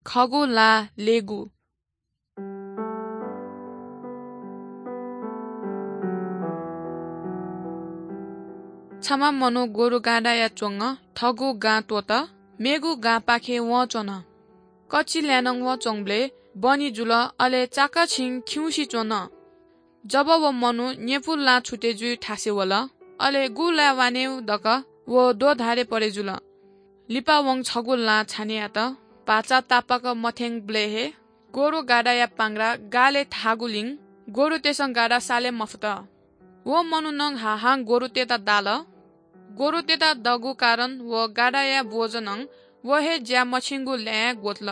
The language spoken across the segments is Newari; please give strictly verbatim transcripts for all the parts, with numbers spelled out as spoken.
खःगु ला लेगु। छम्ह मनू गोरु गाडाया च्वंगः थःगु गां त्वःतः मेगु गांपाखे वंच्वन। कच्छि ल्हाय् नं वंच्वंबलय् बनि जुल, अले चाकःछिं खिउँसे च्वन। जब व मनू न्यपु लां छुटे जुइ थासय् वल, अले गु लाय् वानेगु धकाः व द्वधारे परे जुल। लिपा वं छगू लां छाने यात। भाचा तापाक मथ्यंबलय् हे गोरु गाडाया पांग्रा गालय् थाःगुलिं गोरुतय्सं गाडा साले मफुत। व मनुखं हाहां गोरुतय्त दाल। गोरुतय्त दःगु कारण व गाडाया बोझ नं व हे ज्या मछिंगु ल्हाय् ग्वतल।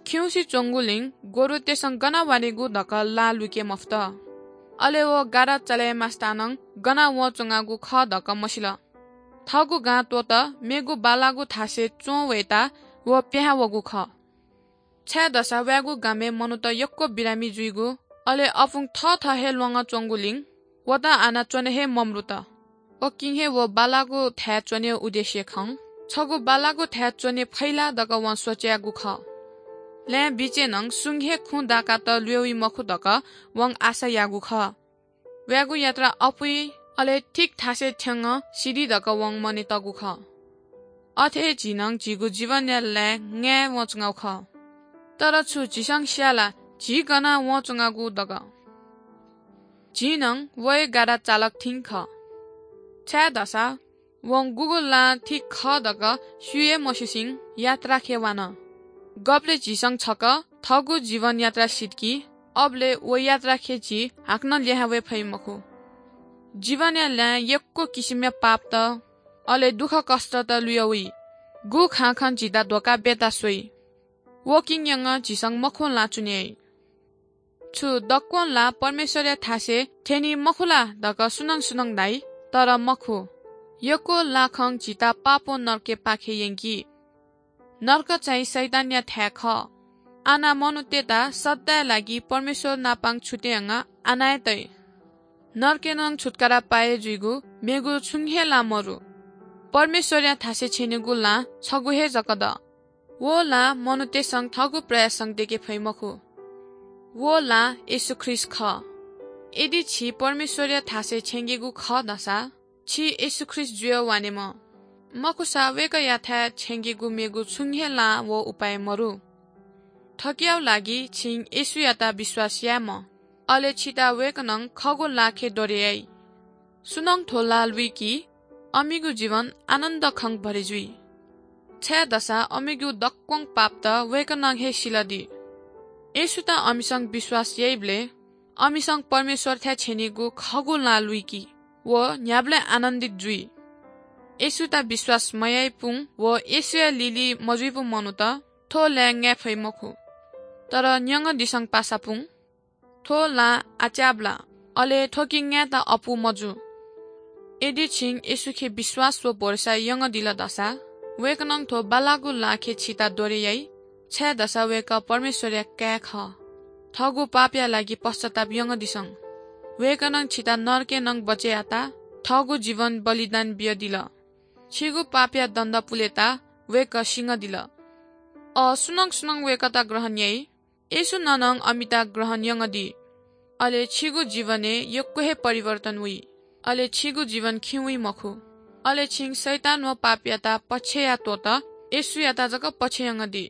खिउँसे च्वंगुलिं गोरुतय्सं गन वानेगु धकाः लां लुइके मफुत। अले व गाडा चले मास्तां नं गन वंच्वंगु खः धकाः मसिल। थःगु गां त्वःतः मेगु बालागु थासय् च्वं वयेत व पिहां वःगु खः। छाय्‌धाःसा वयागु गामय् मनूत यक्व बिरामी जुइगु, अले अपुं थःथः हे ल्वंगः च्वंगुलिं वयात आनाच्वने हे मम्रुत। उकिं हे व बालागु थाय् च्वनेगु उद्देश्य खं। छगू बालागु थाय् च्वने फइ ला धकाः वं सोचे याःगु खः। ल्हाय् बिचय् नं सुं हे खुँ दाकात ल्वय् वइ मखु धकाः वं आशा याःगु खः। वयागु यात्रा अपुइ, अले ठीक थासय् थ्यंगः सिधइ धकाः वं मनय् तःगु खः। अथे हे झी नं झीगु जीवनया ल्हाय् न्याये वंच्वंगु खः। तर छु झीसं स्याः ला झी गन वंच्वंगु धकाः? झी नं व हे गाडा चालक थें खः। छाय्‌धाःसा वं गुगु लां ठीक खः धकाः स्यू हे मस्यूसें यात्राखे वान। गबलय् झीसं छकः थःगु जीवन यात्रा सिधकी, अबलय् व यात्राखे झी हाकनं लिहां वये फइ मखु। जीवनया ल्हाय् यक्व किसिमया पापत, अले दुःखकष्टत लुया वइ। गु खँ खँ झीत धोका बियात स्वइ। उकिं यंगः झीसं मखुगु लां चुने याइ। छु दक्वं लां परमेश्वरया थासय् थ्यनी मखु ला धकाः सुनं सुनं धाइ, तर मखु। यक्व लाखं झीत पापं नरकय् पाखे यंकी। नरक चाहिँ शैतानया थाय् खः। आः मनूतय्त सदांया लागि परमेश्वर नापं छुटे यंगः आना हे तइ। नरकय् नं छुत्कारा पाये जुइगु मेगु छुं हे लां मरु। परमेश्वरया थासय् छ्यनेगु लां छगू हे जक दु। व लां मनूतय्सं थःगु प्रयासं दयेके फइ मखु। व लां येशू ख्रीष्ट खः। यदि छि परमेश्वरया थासय् छ्यंकेगु खः धाःसा छि येशू ख्रीष्ट जुयाः वानेमाः। मखुसा वय्कःयाथाय् छ्यंकेगु मेगु छुं हे लां व उपाय मरु। थुकिया लागि छिं येशूयात विश्वास यायेमाः, अले छित वय्कलं खःगु लाखे द्वरे याइ। सुनं थ्व लां लुइकी, अमिगु जीवन आनन्द खं भरि जुइ। छाय्धाःसा अमिगु दक्वं पापत वय्कलं हे सिलादी। येशूत अमिसं विश्वास याइबलय् अमिसं परमेश्वरथाय् छ्यनीगु खःगु लां लुइकी व न्ह्याबलें आनन्दित जुइ। येशूत विश्वास मयाइपुं व येशूया लिलि मजुइपुं मनूत थ्व लाय् न्याये फइ मखु। तर न्यंगदिसँ पासापुं थ्व लां आच्याब्ला, अले थ्वके न्यायेत अप्वः मजू। यदि छिं येशूखे विश्वास व भरोसा यंगदिल धाःसा वय्कलं थ्व बालागु लाखे छित द्वरे याइ, छाय्धाःसा वय्कः परमेश्वरया काय् खः। थःगु पापया लागि पश्चाताप यंगदिसँ। वय्कलं छित नरकय् नं बचय् यात, थःगु जीवन बलिदान बियादिल। छिगु पापया दण्ड पुलेत वय्कः सिंगदिल। अ, सुनं सुनं वय्कःत ग्रहण याइ, येशूं नं अमित ग्रहण यंगदी। अले छिगु जीवनय् यक्व हे परिवर्तन वइ। अले छिगु जीवन खिं वइ मखु। अले छिं शैतान व पापयात पछ्यया त्वःतः येशूयात जक पछ्ययंगदी।